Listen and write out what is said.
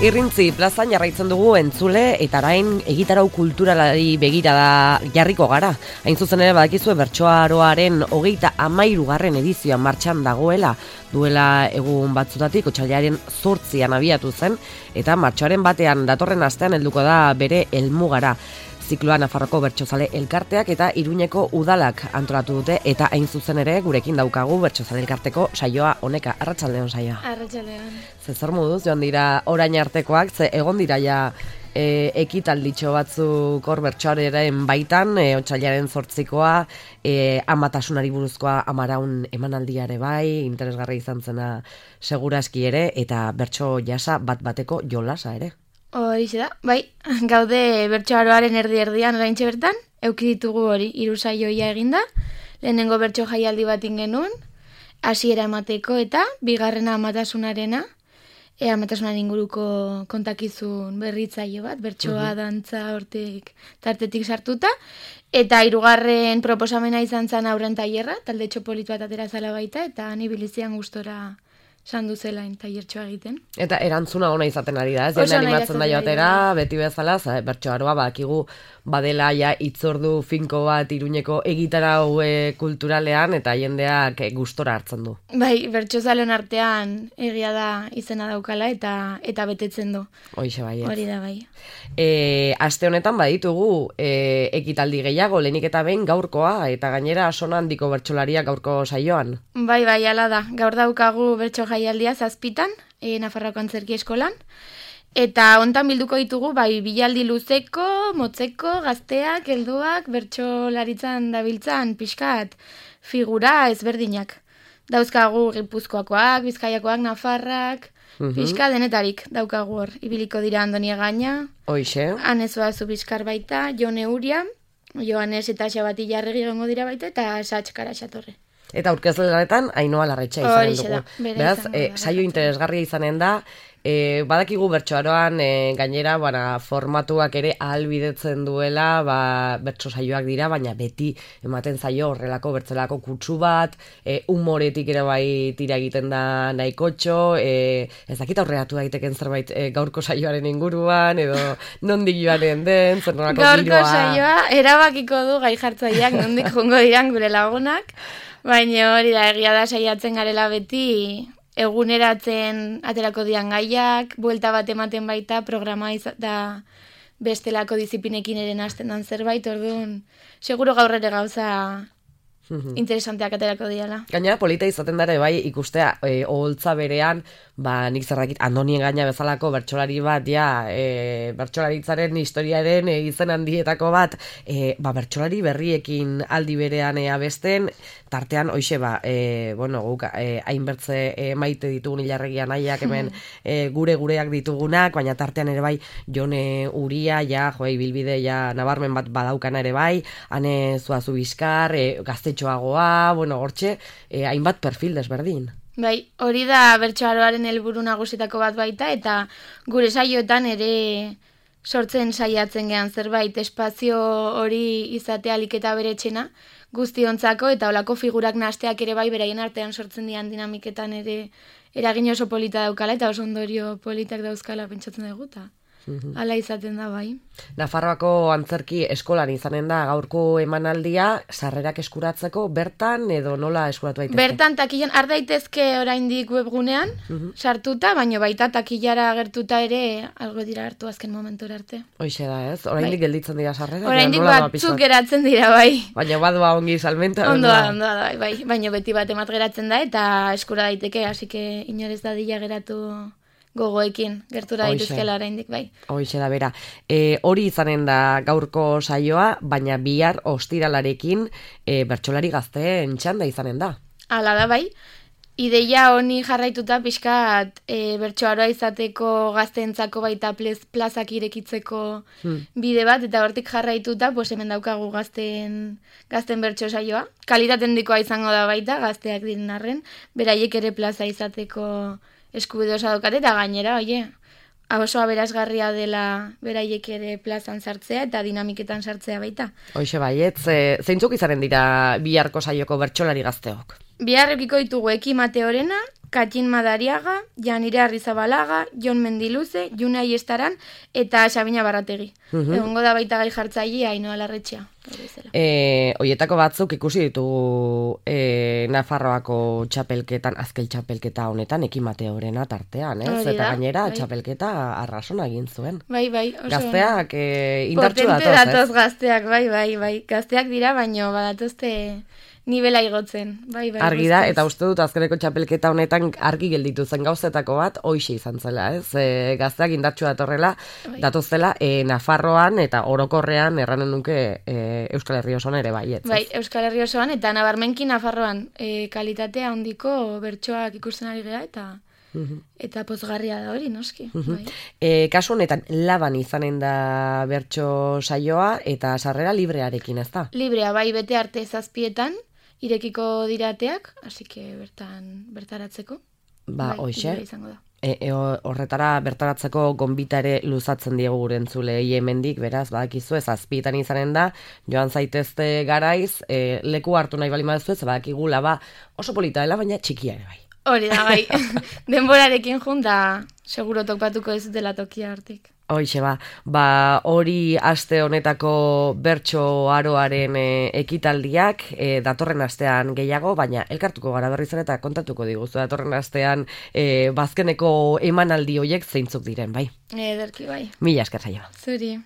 Irrintzi plazan jarraitzen dugu entzule eta orain egitarau kulturalari begirada jarriko gara. Hain zuzen ere badakizue bertsoaroaren 33. edizioa martxan dagoela, duela egun batzutatik otsailaren 8an abiatu zen eta martxoaren batean datorren astean helduko da bere helmugara. Zikloa Nafarroko Bertsozale Elkarteak eta Iruñeko Udalak antolatu dute eta hain zuzen ere gurekin daukagu Bertsozale Elkarteko saioa honeka. Arratsaldeon saioa. Arratsaldeon. Zer moduz joan dira orain artekoak, ze egon dira ja ekitalditxo batzuk hor bertsoaren baitan, otsailaren 8koa, amatasunari buruzkoa Amaraun emanaldiare bai, interesgarri izan zena seguraski ere, eta bertso jasa bat-bateko jolasa ere. Horixe da, bai, gaude bertsoaroaren erdi-erdian oraintxe bertan, eduki ditugu hori, 3 saioia eginda, lehenengo bertso jaialdi bat ingenuen, hasiera emateko eta bigarrena amatasunarena, amatasunaren inguruko kontakizun berritzaile bat, bertsoa, dantza, hortik, tartetik sartuta, eta 3. proposamena izan zen aurren tailerra, talde txopolit bat atera zala baita, eta ni bilizian gustora sandu zelain tailertxoa egiten. Eta erantzuna ona izaten ari da, ez? Jende animatzen da joatera, beti bezala, bertsoaroa badakigu badela ja itzordu finko bat Iruñeko egitarau kulturalean eta jendeak gustora hartzen du. Bai, bertsozaleon artean egia da izena daukala eta betetzen du. Hoixe bai. Hori da bai. Aste honetan baditugu ekitaldi gehiago, lehenik eta behin gaurkoa, eta gainera sona handiko bertsolariak gaurko saioan. Bai, hala da. Gaur daukagu bertso jaialdia 7 Nafarroako Antzerki Eskolan. Eta hontan bilduko ditugu, bai, bilaldi luzeko, motzeko, gazteak, helduak, bertsolaritzan dabiltzan, pixkat, figura ezberdinak. Dauzkagu Gipuzkoakoak, Bizkaiakoak, Nafarrak, pixka denetarik daukagu hor. Ibiliko dira Andoni Egaña, Hoixe. Anezoa Zubizkar baita, Jone Uria, Joanes eta Xabati Jarregi gongo dira baita, eta Satx Karaxatorre. Eta aurkezlanetan Ainhoa Larretxa izanen dugu. Beraz, saio interesgarria izanen da, badakigu bertsoaroan gainera formatuak ere ahalbidetzen duela, bertso saioak dira, baina beti ematen zaio horrelako bertzelako kutsu bat, humoretik ere bai tira egiten da nahikotxo, ez dakit aurreratu daiteken zerbait gaurko saioaren inguruan, edo nondik joanen den, zer nolako giroa. Gaurko saioa erabakiko du gai jartzaileak nondik jongo diran gure lagunak, baina hori da egia da saiatzen garela beti eguneratzen aterako dian gaiak, buelta bat ematen baita, programa da bestelako diziplinekin ere hasten dan zerbait, orduan, seguro gaur ere gauza interesanteak aterako diala. Gainera, polita izaten dara bai ikustea oholtza berean, nik zerrakit Andoni Egaña bezalako bertsolari bat, bertsolaritzaren historiaren izen handietako bat, bertsolari berriekin aldi berean abesten, tartean, hoixe, guk hainbertze maite ditugun Ilarregia nahiak hemen gureak ditugunak, baina tartean ere bai Jone Uria, bilbide nabarmen bat badaukana ere bai, Ane Zuazu Bizkar, gaztetxoagoa, hortxe, hainbat perfil desberdin. Bai, hori da bertsoaroaren helburu nagusitako bat baita, eta gure saioetan ere sortzen saiatzen gehan zerbait, espazio hori izatea alik eta beretxena, guztiontzako, eta olako figurak nahasteak ere bai beraien artean sortzen dian dinamiketan ere eragin oso polita daukala, eta oso ondorio politak dauzkala pentsatzen dugu, eta hala izaten da bai. Nafarroako Antzerki Eskolan izanen da gaurko emanaldia, sarrerak eskuratzeko bertan edo nola eskuratu daitezke? Bertan takilan ardaitezke oraindik webgunean sartuta, baina baita takilara agertuta ere algo dira hartu azken momentura arte. Hoixe da, ez? Oraindik gelditzen dira sarrerak? Oraindik batzuk geratzen dira, bai. Baina badoa ongi salmenta? Ondoa, bai. Baina beti bat emat geratzen da eta eskura daiteke, hasi que inorez dadila geratu gogoekin, gertura daitezkela oraindik, bai. Hoixe da, bera. Hori izanen da gaurko saioa, baina bihar ostiralarekin bertsolari gazteen txanda izanen da. Hala da, bai. Ideia honi jarraituta pixkat bertsoaroa izateko gazteentzako baita plazak irekitzeko bide bat, eta hortik jarraituta, hemen daukagu gazten bertso saioa. Kalitate handikoa izango da baita, gazteak diren arren, beraiek ere plaza izateko eskubide osa daukate, eta gainera, oso aberasgarria dela beraiek ere plazan sartzea eta dinamiketan sartzea baita. Hoixe baietz, zeintzuk izanen dira biharko saioko bertsolari gazteok? Bihar eukiko ditugu Eki Mateorena, Katxin Madariaga, Janire Arrizabalaga, Jon Mendiluze, June Aiestaran eta Sabina Barrategi. Egongo da baita gai jartzailea Ainhoa Larretxea. Hoietako batzuk ikusi ditugu Nafarroako txapelketan, azkel txapelketa honetan, Ekimateorena tartean, ez? Eta gainera txapelketa arrasona egin zuen. Bai, oso. Gazteak indartsu datoz, potente datoz gazteak, bai. Gazteak dira, baino badatozte nivela igotzen. Bai. Argi da, eta uste dut azkeneko txapelketa honetan argi gelditu zen gauzetako bat, hoixe izan zela, ez? Gazteak indartsu datorrela, datozela, Nafarroan eta orokorrean erranen nuke Euskal Herri osoan ere bai, ez? Bai, Euskal Herri osoan eta nabarmenki Nafarroan kalitatea handiko bertsoak ikusten ari gara eta pozgarria da hori, noski. Kasu honetan, Laban izanen da bertso saioa eta sarrera librearekin, ez da? Librea, bai, bete arte 7:00 irekiko dirateak, así que bertaratzeko. Hoxe. Izango da. Horretara bertaratzeko gonbita ere luzatzen diegu gure entzulei hemendik, beraz, badakizu, 7:00 izanen da, joan zaitezte garaiz, leku hartu nahi bali baduzu, badakigu Laba oso polita dela, baina txikia ere bai. Hori da, bai. Denborarekin junta, seguro topatuko ez dela tokia hartik. Hoixe hori aste honetako bertso aroaren ekitaldiak, datorren astean gehiago, baina elkartuko gara berriz ere eta kontatuko diguzu datorren astean bazkeneko emanaldi hoiek zeintzuk diren, bai. Ederki, bai. Mila esker saioa. Zuri.